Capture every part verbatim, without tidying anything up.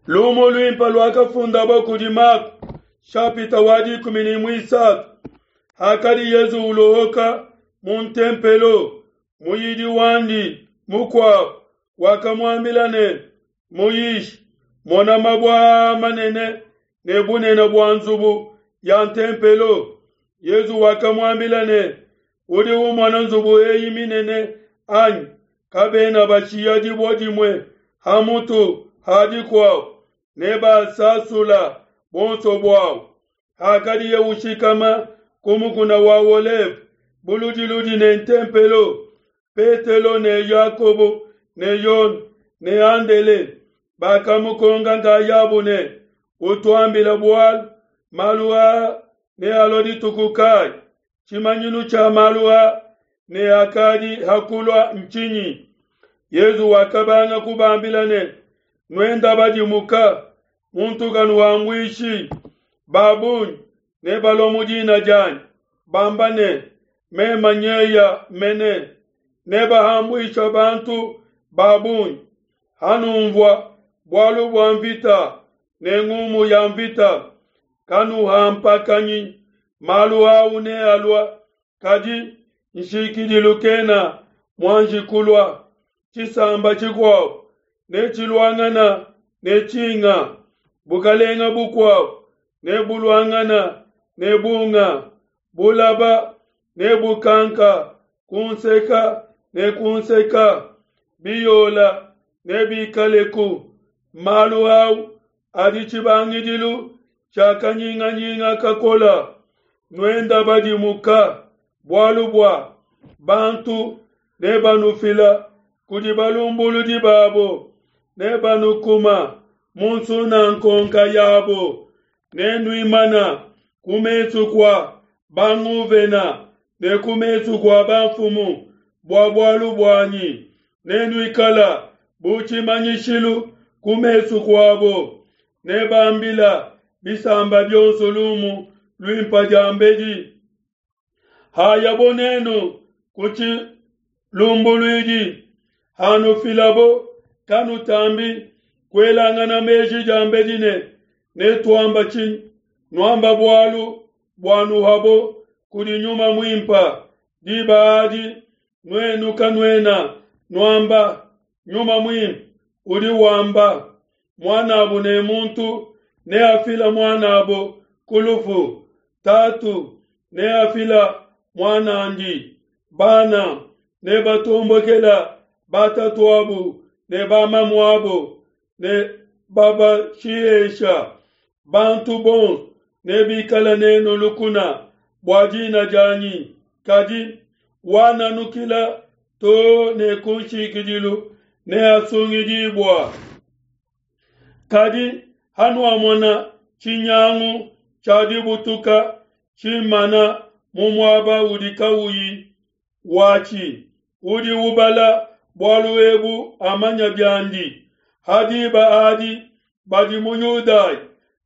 Lumu luimpe luakafundabo kudi Mako, shapita wa dikumi ne muisatu. Hakadi Yesu ulohoka mu ntempelo, muyidi wandi mukuabo wakamuambila ne, Muyishi, mona mabue aa manene ne bunene bua nzubu ya ntempelo. Yesu wakamuambila ne, Udi umona nzubu eyi minene anyi? Kabena bashiya dibue dimue ha mutu ha dikuabo, nebasasula buonso buau. Hakadiye ushikama ku mukuna wa Oleve buludiludi ne ntempelo, Petelo ne Yakobo ne Yone ne Andele bakamukonka nkayabo ne, Utuambile bualu, malu aa nealua dituku kayi? Tshimanyinu tshia malu aa ne akadi ha kulua ntshinyi? Yesu wakabanga kubambila ne, Nuenda badimuka, muntu kanuhambuishi. Ba bungi nebalua mu dina dianyi, bamba ne, Meme nyeya mene, nebahambuisha bantu ba bungi. Hanunvua bualu bua mvita ne ngumu ya mvita, kanuhampakanyi, malu au nealua, kadi nshikidilu kena muanji kulua. Tshisamba tshikuabo netshiluangana ne tshinga, bukalenga bukuabo nebuluangana ne bunga, bulaba nebukanka ku nseka ne ku nseka, biyola nebikaleku. Malu au adi tshibangidilu tshia kanyinganyinga kakola. Nuenda badimuka, bualu bua bantu nebanufila kudi balumbuludi babo, nebanukuma mu nsunankonka yabo, nenuimana ku mesu kua banguvena ne ku mesu kua bamfumu bua bualu buanyi, nenuikala bu tshimanyishilu ku mesu kuabo, nebambila bisamba bionso lumu luimpe diambedi. Hayabo nenu ku tshilumbuluidi, hanufilabo, kanutambi kuelangana meji diambedi ne, netuamba tshinyi? Nuamba bualu buanuhabo kudi Nyuma Muimpe. Diba adi nuenu kanuena nuamba, Nyuma Muimpe udi wamba, muanabo ne muntu neafila muanabo ku lufu, tatu neafila muanandi, bana nebatombokela batatuabo ne bamamuabo ne babashihesha. Bantu bonso nebikala nenu lukuna bua dina dianyi, kadi wananukila to ne kunshikidilu neasungidibua. Kadi hanuamona tshinyangu tshia dibutuka tshimana mu muaba udi kauyi watshi, udi ubala bualu ebu amanya biandi. Ha diba adi badi mu Yudaya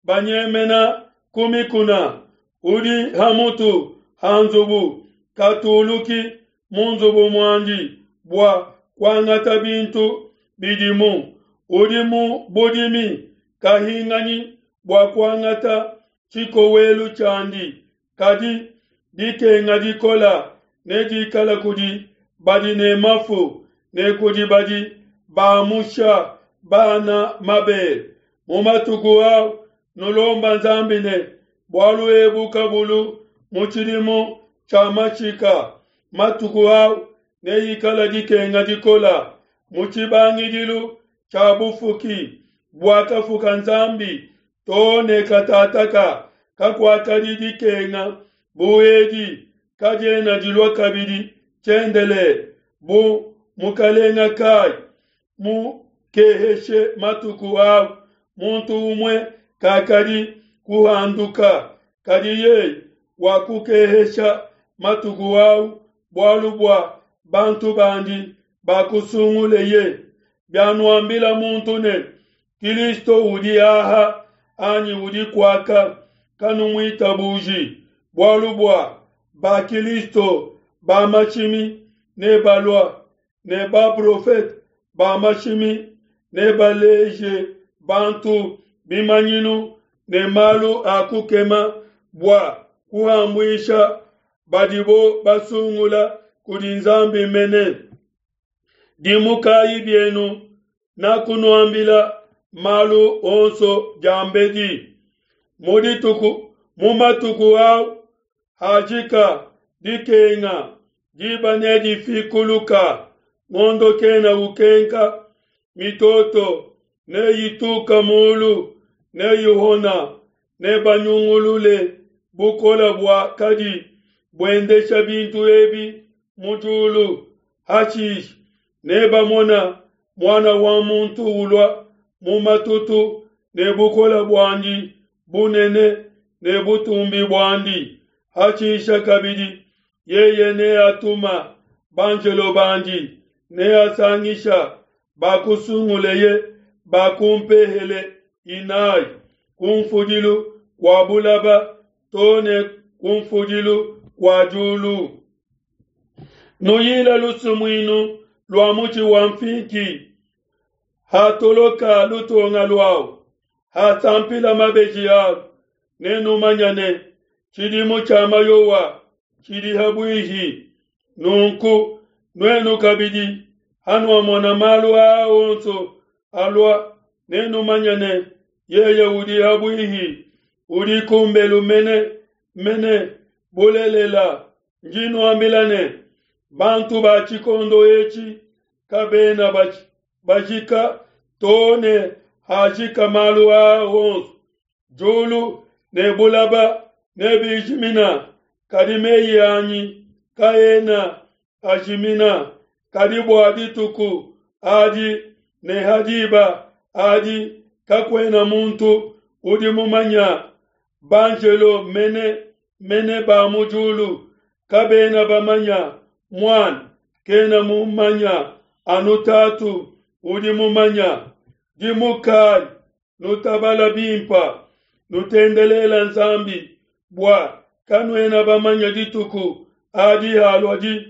banyemena ku mikuna, udi ha mutu ha nzubu katuluki mu nzubu muandi bua kuangata bintu bidimu, udi mu budimi kahinganyi bua kuangata tshikowelu tshiandi. Kadi dikenga dikola nedikala kudi badi ne mafu ne kudi badi bamusha bana mabele. Mu matuku au nulomba Nzambi ne, bualu ebu kabulu mu tshidimu tshia mashika. Matuku au neikala dikenga dikola mu tshibangidilu tshia bufuki buakafuka Nzambi to ne katataka kakuakadi dikenga bu edi, kadiena dilua kabidi tshiendelele. Bu mukalenga kai mukeheshe matuku au, muntu umue kakadi kuhanduka, kadi yeye wakukehesha matuku au bualu bua bantu bandi bakusunguleye. Bianuambila muntu ne, Kilisto udi aha anyi udi kuaka, kanumuitabuji, bualu bua ba Kilisto ba mashimi nebalua, ne baprofete ba mashimi nebaleje bantu bimanyinu ne malu a kukema bua kuhambuisha badibo basungula kudi Nzambi mene. Dimukayi bienu, nakunuambila malu onso diambedi. Mu dituku mu matuku au hajika dikenga, diba nedifikuluka, ngondo kena ukenka, mitoto neyituka mulu, neyihona, nebanyungulule bukola bua kadi buendesha bintu ebi mu diulu. Hashishe nebamona Muana wa muntu ulua mu matutu ne bukola buandi bunene ne butumbi buandi. Hashishe kabidi yeye neatuma banjelo bandi, neasangisha bakusunguleye ba ku mpehele inayi, kunfudilu kua bulaba to ne kunfudilu kua diulu. Nuyila lusumuinu lua mutshi wa nfinki, hatoloka lutonga luawu, hasampila mabeji alu, nenumanye ne tshidimu tshia mayowa tshidi habuihi. Nunku nuenu kabidi, hanuamona malu aa onso alua, nenumanye ne yeye udi habuihi, udi kumbelu mene mene. Bulelela, ndi nuambila ne, bantu ba tshikondo etshi kabena bajika to ne hajika malu aa onso. Diulu ne bulaba nebijimina, kadi meyi anyi kaena ajimina. Kadi bua dituku adi ne ha diba adi kakuena muntu udi mumanya, banjelo mene mene ba mu diulu kabena bamanya, Muana kena mumanya, anu Tatu udi mumanya. Dimukayi, nutabala bimpa, nutendelela Nzambi, bua kanuena bamanya dituku adi haluadi.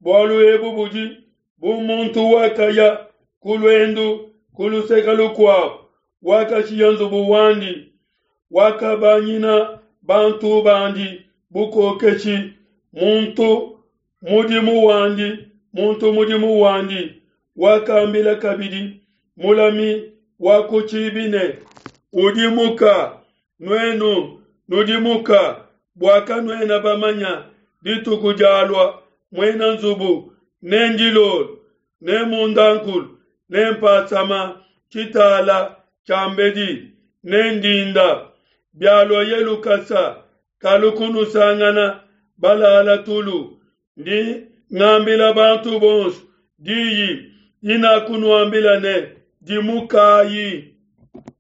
Bualu ebu budi bu muntu wakaya ku luendu ku luseke lukuabo, wakashiya nzubu wandi, wakabanyina bantu bandi bukokeshi, muntu mudimu wandi, muntu mudimu wandi. Wakambila kabidi mulami wa ku tshibi ne, udimuka, nuenu nudimuka, bua kanuena bamanya dituku dialua muena nzubu, ne ndilolo, ne mundankulu, ne mpasama tshitala tshiambedi, ne ndinda. Bialuaye lukasa, kalu kunusangana balala tulu. Ndi ngambila bantu bonso diyi dinakunuambila ne, dimukayi.